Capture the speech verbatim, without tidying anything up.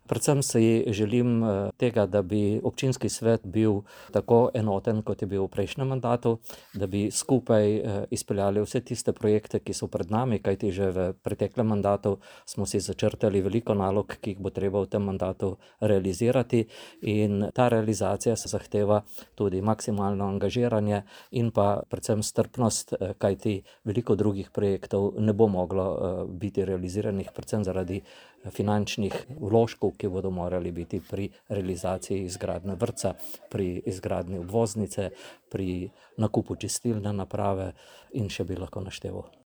Predvsem si želim tega, da bi občinski svet bil tako enoten, kot je bil v prejšnjem mandatu, da bi skupaj izpeljali vse tiste projekte, ki so pred nami, kajti že v preteklem mandatu smo si začrtali veliko nalog, ki jih bo treba v tem mandatu realizirati, in ta realizacija se zahteva tudi maksimalno angažiranje in pa predvsem strpnost, kajti veliko drugih projektov ne bo moglo biti realiziranih, predvsem zaradi finančnih vložkov, ki bodo morali biti pri realizaciji izgradnje vrtca, pri izgradnji obvoznice, pri nakupu čistilne naprave in še bi lahko našteval.